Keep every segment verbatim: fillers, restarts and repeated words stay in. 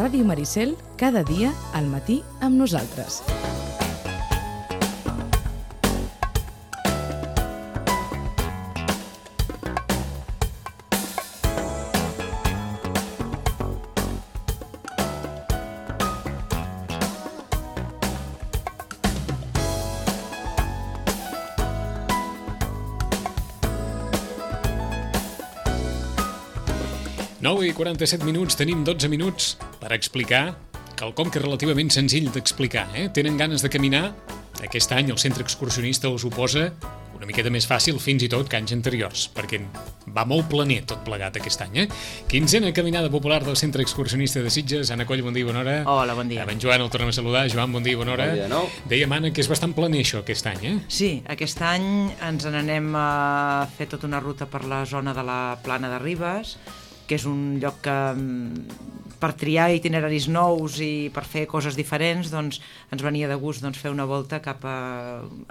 Ràdio Maricel, cada dia al matí amb nosaltres. nou i quaranta-set minuts, tenim dotze minuts per explicar quelcom que és relativament senzill d'explicar. Eh? Tenen ganes de caminar? Aquest any el centre excursionista us ho posa una miqueta més fàcil fins i tot que anys anteriors, perquè va molt planer tot plegat aquest any. Eh? Quinzena caminada popular del centre excursionista de Sitges. Anna Coll, bon dia i bona hora. Hola, bon dia. En Joan el tornem a saludar. Joan, bon dia i bona hora. Bon dia de nou. Dèiem, Anna, que és bastant planer això aquest any, eh? Sí, aquest any ens n'anem a fer tota una ruta per la zona de la Plana de Ribes, que és un lloc que per triar itineraris nous i per fer coses diferents, doncs ens venia de gust doncs, fer una volta cap a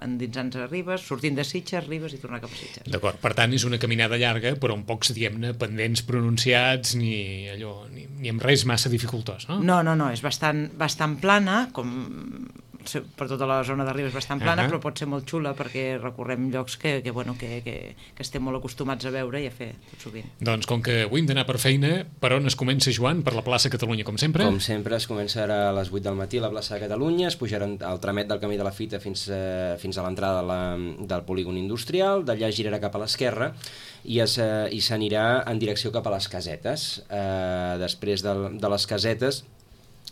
endinsant a Ribes, sortint de Sitges, Ribes i tornar cap a Sitges. D'acord, per tant és una caminada llarga, però amb pocs, diguem-ne, pendents pronunciats ni allò, ni, ni amb res massa dificultós, no? No, no, no, és bastant, bastant plana, com per tota la zona de Ribes és bastant plana, uh-huh. però pot ser molt xula perquè recorrem llocs que, que, bueno, que, que, que estem molt acostumats a veure i a fer tot sovint. Doncs com que avui hem d'anar per feina, per on es comença, Joan? Per la plaça Catalunya, com sempre? Com sempre, es començarà a les vuit del matí a la plaça de Catalunya, es pujarà al tramet del camí de la Fita fins, eh, fins a l'entrada de la, del polígon industrial, d'allà girarà cap a l'esquerra i es, eh, i s'anirà en direcció cap a les casetes. Eh, després de, de les casetes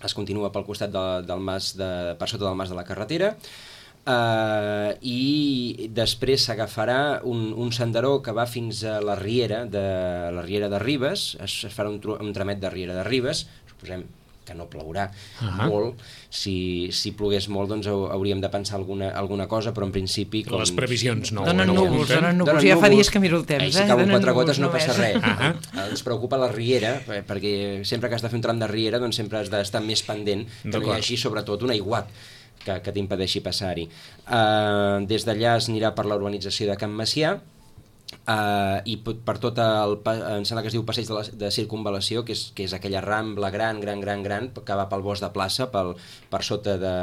es continua pel costat de, del mas de, per sota del mas de la carretera, Uh, i després s'agafarà un, un senderó que va fins a la riera de, la riera de Ribes, es, es farà un, un tramet de riera de Ribes, suposem que no plourà uh-huh. molt, si, si plogués molt doncs hauríem de pensar alguna, alguna cosa, però en principi... Com... Les previsions no... Donen no núvols, donen núvols, ja fa dies que miro el temps. Eh, si cauen quatre gotes no només. passa res. Uh-huh. Ens preocupa la riera, perquè sempre que has de fer un tram de riera doncs sempre has d'estar més pendent, que no hi hagi sobretot un aiguat que, que t'impedeixi passar-hi. Uh, des d'allà es anirà per la urbanització de Can Macià, uh, i per tot el, em sembla que es diu passeig de, la, de circunvalació, que és, que és aquella rambla gran, gran, gran, gran, que va pel bosc de plaça, pel, per sota de,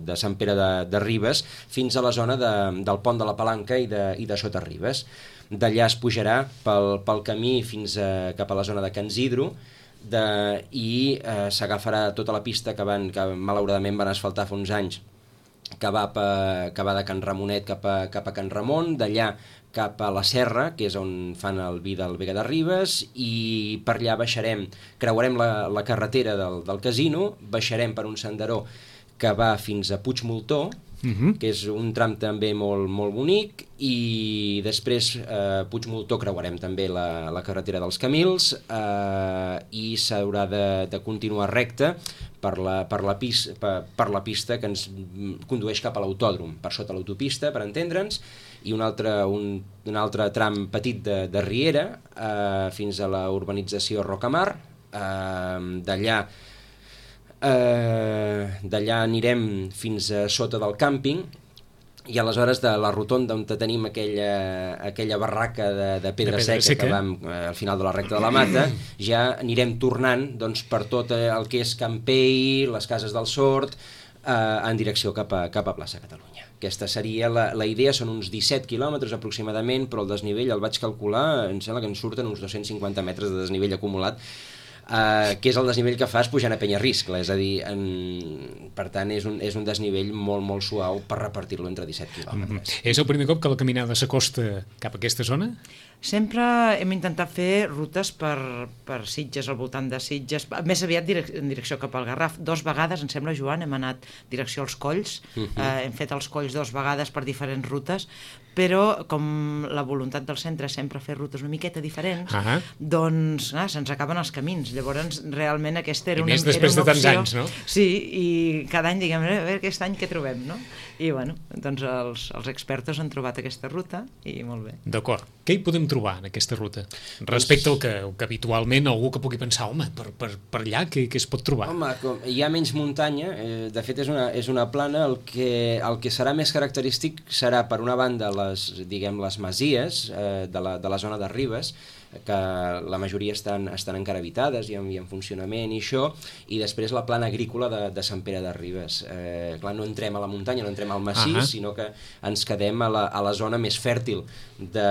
de Sant Pere de, de Ribes, fins a la zona de, del pont de la Palanca i de, i de Sota Ribes. D'allà es pujarà pel, pel camí fins a, cap a la zona de Can Zidro, de, i eh, s'agafarà tota la pista que, van, que malauradament van asfaltar fa uns anys, que va, pa, que va de Can Ramonet cap a, cap a Can Ramon, d'allà cap a la Serra, que és on fan el vi del Vega de Ribes, i per allà baixarem, creuarem la, la carretera del, del casino, baixarem per un senderó que va fins a Puigmoltó, Uh-huh. que és un tram també molt, molt bonic, i després eh, Puigmoltó creuarem també la, la carretera dels Camils, eh, i s'haurà de, de continuar recte per la, per, la pis, per, per la pista que ens condueix cap a l'autòdrom, per sota l'autopista, per entendre'ns, i un altre, un, un altre tram petit de, de riera eh, fins a la urbanització Rocamar. eh, d'allà Uh, d'allà anirem fins a sota del càmping i aleshores de la rotonda on tenim aquella, aquella barraca de, de pedra, de pedra seca, seca que vam uh, al final de la recta de la Mata, ja anirem tornant doncs, per tot el que és Campell, les Cases del Sord, uh, en direcció cap a, cap a plaça Catalunya. Aquesta seria la, la idea, són uns disset quilòmetres aproximadament, però el desnivell el vaig calcular, em sembla que ens surten uns dos-cents cinquanta metres de desnivell acumulat, Uh, que és el desnivell que fas pujant a Penyarriscle, és a dir, en... per tant és un, és un desnivell molt molt suau per repartir-lo entre disset quilòmetres. Mm-hmm. És el primer cop que la caminada s'acosta cap a aquesta zona? Sempre hem intentat fer rutes per, per Sitges, al voltant de Sitges, més aviat direc en direcció cap al Garraf. Dos vegades, em sembla, Joan, hem anat direcció als Colls, uh-huh. eh, hem fet els Colls dos vegades per diferents rutes, però com la voluntat del centre és sempre fer rutes una miqueta diferents, uh-huh. doncs ah, se'ns acaben els camins. Llavors, realment, aquesta era una, I més després era una de tants opció. anys, no? Sí, i cada any diguem, a veure aquest any què trobem, no? I, bueno, doncs els, els expertos han trobat aquesta ruta i molt bé. D'acord. Què hi podem trobar en aquesta ruta? Respecte al que, que habitualment algú que pugui pensar, home, per, per, per allà què, què es pot trobar? Home, com hi ha menys muntanya, eh, de fet és una, és una plana, el que, el que serà més característic serà, per una banda, les, diguem, les masies eh, de, la, de la zona de Ribes, que la majoria estan, estan encara habitades i en, i en funcionament i això, i després la plana agrícola de, de Sant Pere de Ribes. Eh, clar, no entrem a la muntanya, no entrem al massís, uh-huh. sinó que ens quedem a la, a la zona més fèrtil de,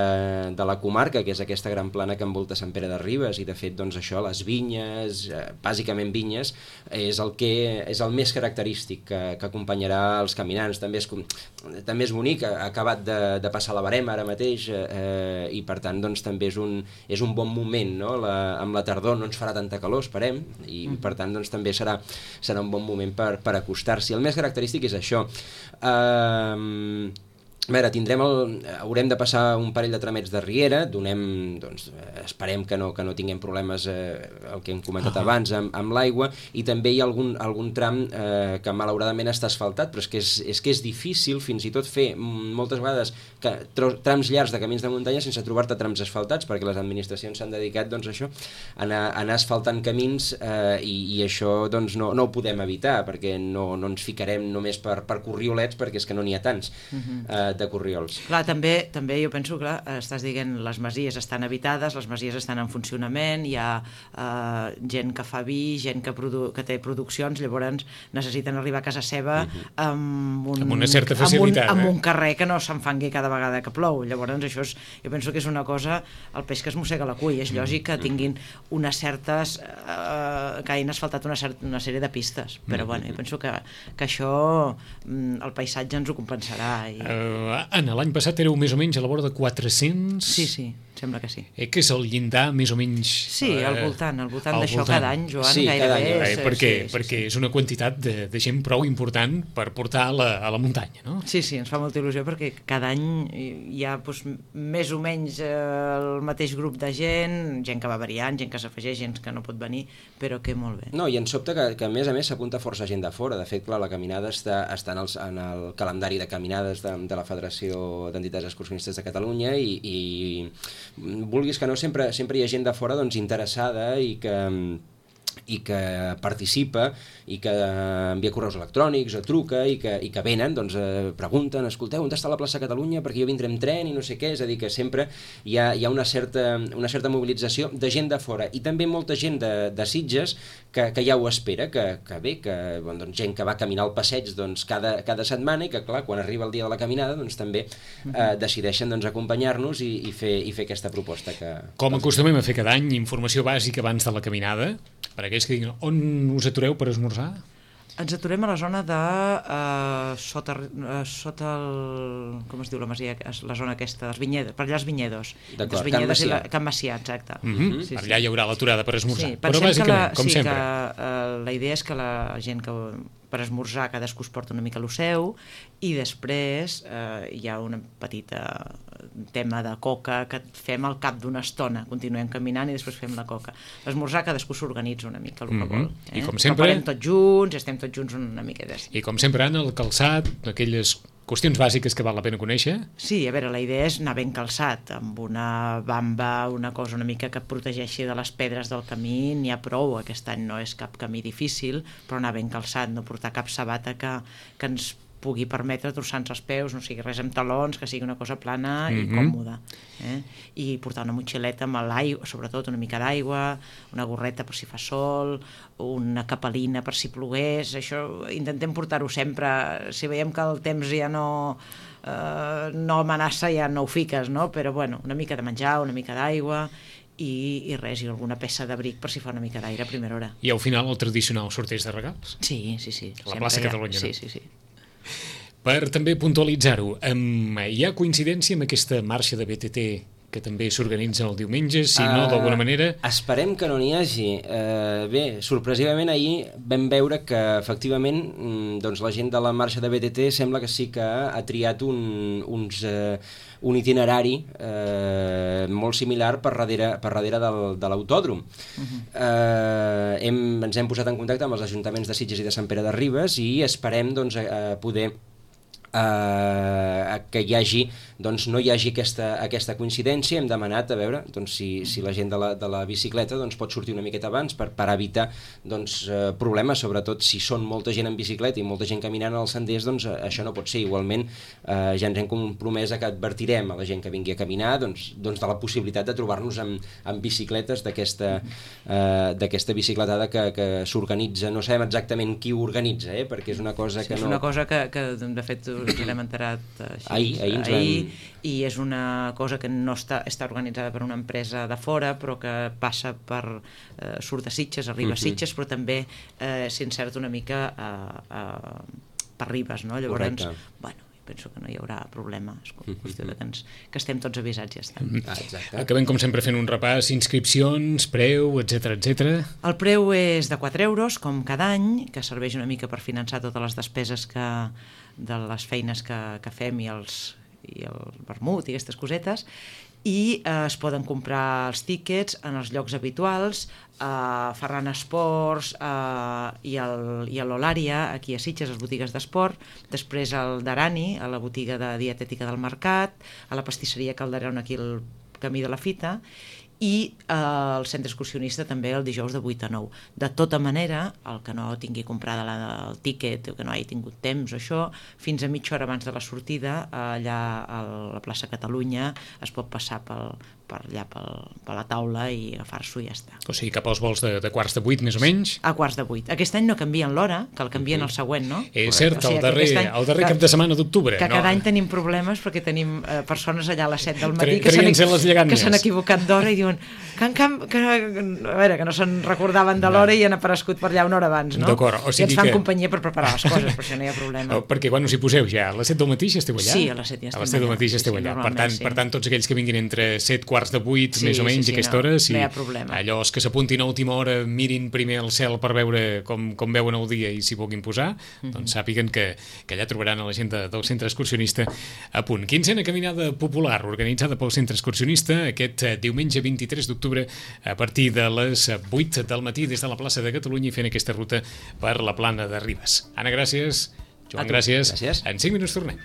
de la comarca, que és aquesta gran plana que envolta Sant Pere de Ribes, i de fet, doncs això, les vinyes, eh, bàsicament vinyes, és el que és el més característic que, que acompanyarà els caminants. També és, també és bonic, ha acabat de, de passar la barema ara mateix, eh, i per tant, doncs també és un, és un bon moment, no? La, amb la tardor no ens farà tanta calor, esperem, i mm. per tant, doncs també serà, serà un bon moment per, per acostar-s'hi. El més característic és això. Eh, A veure, tindrem el, haurem de passar un parell de tramets de riera, donem, doncs, esperem que no, que no tinguem problemes, eh, el que hem comentat uh-huh. abans, amb, amb l'aigua, i també hi ha algun, algun tram eh, que malauradament està asfaltat, però és que és, és que és difícil fins i tot fer moltes vegades que, trams llargs de camins de muntanya sense trobar-te trams asfaltats, perquè les administracions s'han dedicat, doncs, a això, a anar, a anar asfaltant camins, eh, i, i això doncs, no, no ho podem evitar, perquè no, no ens ficarem només per, per corriolets, perquè és que no n'hi ha tants. Uh-huh. eh, de corriols. Clar, també, també jo penso que estàs dient les masies estan habitades, les masies estan en funcionament, hi ha eh, gent que fa vi, gent que, produ que té produccions, llavors necessiten arribar a casa seva uh-huh. amb, un, amb una certa facilitat. Amb un, eh? amb un carrer que no s'enfangui cada vegada que plou. Llavors això és, jo penso que és una cosa, el peix que es mossega la cull, és lògic que tinguin unes certes, eh, que hagin asfaltat una, certa, una sèrie de pistes, però uh-huh. bueno, jo penso que, que això el paisatge ens ho compensarà. I... Uh, Anna, l'any passat éreu més o menys a la vora de quatre-cents... Sí, sí, sembla que sí. Eh, que és el llindar més o menys... Sí, al voltant, al voltant al d'això voltant. cada any, Joan, sí, gairebé. Any, eh, és, perquè sí, sí, perquè sí. és una quantitat de, de gent prou important per portar a la, a la muntanya, no? Sí, sí, ens fa molta il·lusió perquè cada any hi ha doncs, més o menys eh, el mateix grup de gent, gent que va variant, gent que s'afegeix, gent que no pot venir, però que molt bé. No, i en sobte que, que a més a més s'apunta força gent de fora. De fet, clar, la caminada està, està en, el, en el calendari de caminades de, de la Federació d'Entitats Excursionistes de Catalunya i, i vulguis que no, sempre, sempre hi ha gent de fora doncs, interessada i que, i que participa i que envia correus electrònics o truca i que, i que venen, doncs eh, pregunten, escolteu, on està la plaça Catalunya perquè jo vindré amb tren i no sé què, és a dir que sempre hi ha, hi ha una, certa, una certa mobilització de gent de fora i també molta gent de, de Sitges que, que ja ho espera, que, que bé, que bon, doncs, gent que va caminar al passeig doncs, cada, cada setmana i que clar, quan arriba el dia de la caminada doncs també eh, decideixen doncs, acompanyar-nos i, i, fer, i fer aquesta proposta que... Com acostumem a fer cada any, informació bàsica abans de la caminada, per aquells que diguin, on us atureu per esmorzar? Ens aturem a la zona de uh, sota, uh, sota el, com es diu la masia, la zona aquesta dels vinyedos, per allà els vinyedos. D'acord, Can Macià. I la, Can Macià, exacte. Mm-hmm. Sí, per sí. allà hi haurà l'aturada per esmorzar. Sí, però bàsicament, la, com sí, sempre. Que, uh, la idea és que la gent que per esmorzar cadascú es porta una mica lo seu i després eh, hi ha una petita tema de coca que fem al cap d'una estona, continuem caminant i després fem la coca. L'esmorzar cadascú s'organitza una mica el que mm-hmm. vol. Eh? I com sempre... Preparem tots junts, estem tots junts una miqueta. I com sempre, Anna, el calçat, aquelles qüestions bàsiques que val la pena conèixer. Sí, a veure, la idea és anar ben calçat, amb una bamba, una cosa una mica que protegeixi de les pedres del camí, n'hi ha prou, aquest any no és cap camí difícil, però anar ben calçat, no portar cap sabata que, que ens pugui permetre trossar-nos els peus, no sigui res amb talons, que sigui una cosa plana i mm-hmm. còmoda. Eh? I portar una motxileta amb l'aigua, sobretot una mica d'aigua, una gorreta per si fa sol, una capelina per si plogués, això intentem portar-ho sempre. Si veiem que el temps ja no, eh, no amenaça, ja no ho fiques, no? Però bueno, una mica de menjar, una mica d'aigua, i, i res, i alguna peça d'abric per si fa una mica d'aire a primera hora. I al final el tradicional sorteig de regals. Sí, sí, sí. A la plaça Catalunya, sí, no? sí, sí. Per també puntualitzar-ho, um, hi ha coincidència amb aquesta marxa de B T T que també s'organitza el diumenge, si no, d'alguna manera... Uh, esperem que no n'hi hagi. Uh, bé, sorpresivament ahir vam veure que efectivament doncs, la gent de la marxa de B T T sembla que sí que ha triat un, uns, uh, un itinerari uh, molt similar per darrere, per darrere del, de l'autòdrom. Uh-huh. uh, hem, ens hem posat en contacte amb els ajuntaments de Sitges i de Sant Pere de Ribes i esperem doncs, uh, poder Uh, que hi hagi doncs no hi hagi aquesta, aquesta coincidència, hem demanat a veure doncs, si, si la gent de la, de la bicicleta doncs, pot sortir una miqueta abans per, per evitar doncs, eh, problemes, sobretot si són molta gent en bicicleta i molta gent caminant als senders, doncs eh, això no pot ser. Igualment eh, ja ens hem compromès a que advertirem a la gent que vingui a caminar doncs, doncs de la possibilitat de trobar-nos amb, amb bicicletes d'aquesta eh, d'aquesta bicicletada que, que s'organitza, no sabem exactament qui ho organitza, eh, perquè és una cosa sí, que és no... una cosa que, que de fet us n'hem enterat així, ahir, ahir, ens ahir vam... i és una cosa que no està, està organitzada per una empresa de fora, però que passa per eh, surt de Sitges, arriba a uh-huh. Sitges, però també eh, s'inserta una mica a, a, per Ribes, no? Llavors, correcte. Bueno, penso que no hi haurà problema, és qüestió de que, ens, que estem tots avisats i ja està. Ah, exacte. Acabem com sempre fent un repàs, inscripcions, preu, etcètera, etcètera. El preu és de quatre euros, com cada any, que serveix una mica per finançar totes les despeses que, de les feines que, que fem i els i el vermut i aquestes cosetes, i eh, es poden comprar els tíquets en els llocs habituals, a Ferran Esports eh, i, el, i a l'Olària, aquí a Sitges, a les botigues d'esport, després al Darani, a la botiga de dietètica del Mercat, a la pastisseria Calderón, aquí al Camí de la Fita, i eh, el centre excursionista també el dijous de vuit a nou. De tota manera, el que no tingui comprada la, el tíquet o que no hagi tingut temps o això, fins a mitja hora abans de la sortida, allà a la plaça Catalunya es pot passar pel, per allà pel, per la taula i agafar-s'ho i ja està. O sigui, cap als vols de, de quarts de vuit, més o menys? A quarts de vuit. Aquest any no canvien l'hora, que el canvien el següent, no? És cert, o sigui, el darrer, any, el darrer que, cap de setmana d'octubre. Que no? cada any tenim problemes perquè tenim eh, persones allà a les set del matí que s'han equivocat d'hora i diuen que, en, que, a veure, que no se'n recordaven de l'hora i han aparegut per allà una hora abans, no? D'acord. O sigui I ens fan que... companyia per preparar les coses, per això no hi ha problema. Oh, perquè quan us hi poseu ja? A les set del matí ja esteu allà? Sí, a les set ja estem allà. A les set del matí ja esteu sí, allà. Sí, per, tant, sí. per tant, tots aquells que vinguin entre set quarts de vuit, sí, més o menys, sí, sí, aquesta no, hora, si no hi ha problema. Allò que s'apuntin a última hora, mirin primer el cel per veure com, com veuen el dia i s'hi puguin posar, mm-hmm. doncs sàpiguen que, que allà trobaran a la gent de, del centre excursionista a punt. Quinzena caminada popular organitzada pel centre excursionista aquest diumenge vint-i-tres d'octubre a partir de les vuit del matí des de la plaça de Catalunya i fent aquesta ruta per la plana de Ribes. Anna, gràcies. Joan, gràcies. gràcies. En cinc minuts tornem.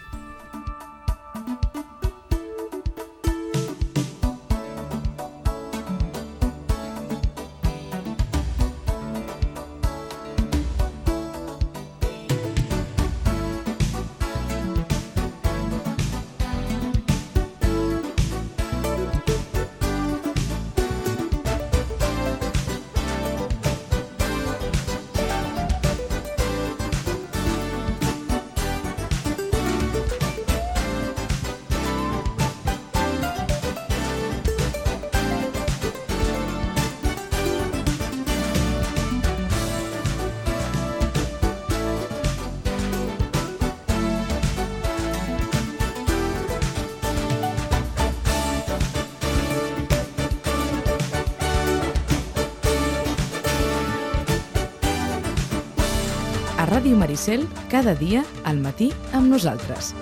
A Ràdio Maricel, cada dia al matí amb nosaltres.